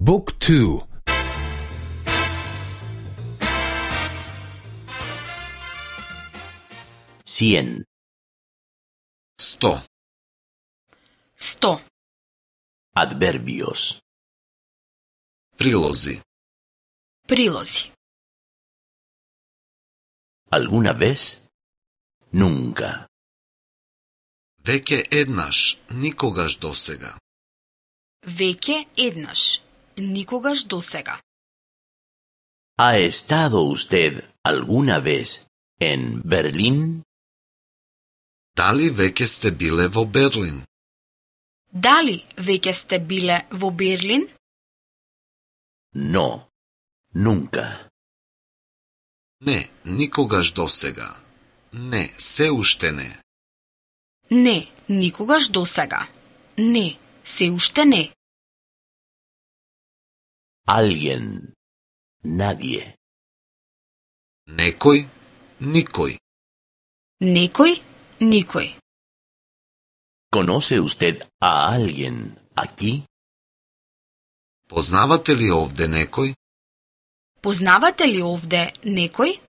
Book 2. Cien. 100. 100. Adverbios. Прилози. Прилози. ¿Alguna vez? Nunca. Веќе еднаш, никогаш досега. Веќе еднаш. Никогаш досега. ¿Ha estado usted alguna vez en Berlín? Дали веќе сте биле во Берлин? Дали веќе сте биле во Берлин? No. Nunca. Не, никогаш досега. Не, се уште не. Не, никогаш досега. Не, се уште не. Alguien. Nadie. Некој, никој. Некој, никој. ¿Conoce usted a alguien aquí? Познавате ли овде некој? Познавате ли овде некој?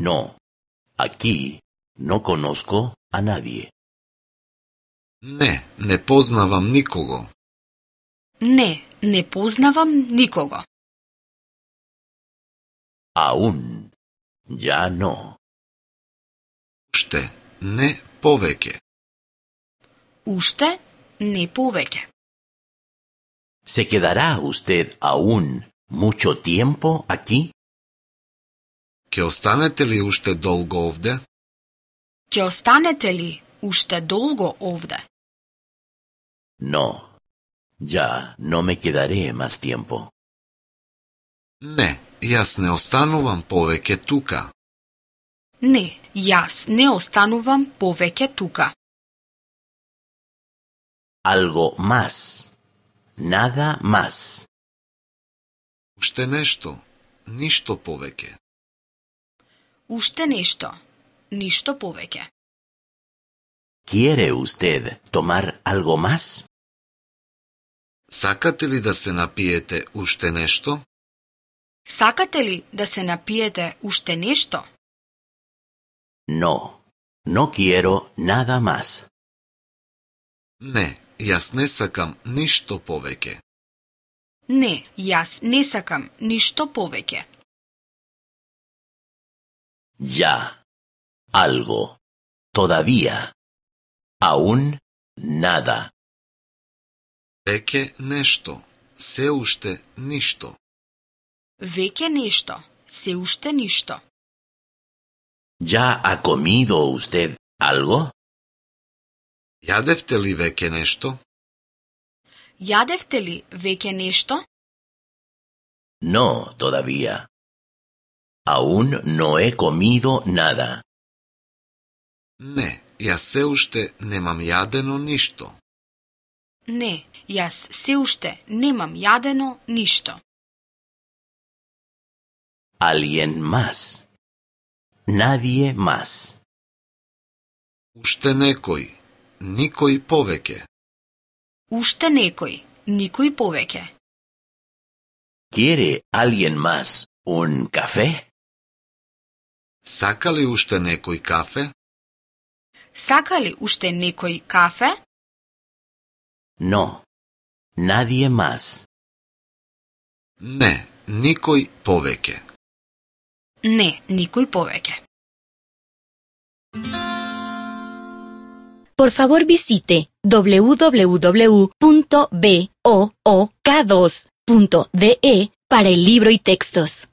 No. Aquí no conozco a nadie. Не, не познавам никого. Не, не познавам никого. Aún. Ya no. Уште, не повеќе. Уште не повеќе. ¿Se quedará usted aún mucho tiempo aquí? Ќе останете ли уште долго овде? Ќе останете ли уште долго овде? No. Ya no me quedaré más tiempo. Не, јас не останувам повеќе тука. Не, јас не останувам повеќе тука. Algo más. Nada más. Уште нешто, ништо повеќе. Уште нешто, ништо повеќе. ¿Quiere usted tomar algo más? Сакате ли да се напиете уште нешто? Сакате ли да се напиете уште нешто? No. No quiero nada más. Не, јас не сакам ништо повеќе. Не, јас не сакам ништо повеќе. Ya. Algo. Todavía. Aún nada. Веќе нешто, се уште ништо. Веќе нешто, се уште ништо. ¿Ya ha comido usted algo? Јадевте ли веќе нешто? Јадевте ли веќе нешто? No, todavía. Aún no he comido nada. Не, јас се уште немам јадено ништо. Не, јас се уште немам јадено ништо. Alguien más. Nadie más. Уште некој, никој повеќе. Уште некој, никој повеќе. ¿Quiere alguien más un café? Сака ли уште некој кафе? Сака ли уште некој кафе? No. Nadie más. Не, никој повеќе. Не, никој повеќе. Por favor visite www.book2.de para el libro y textos.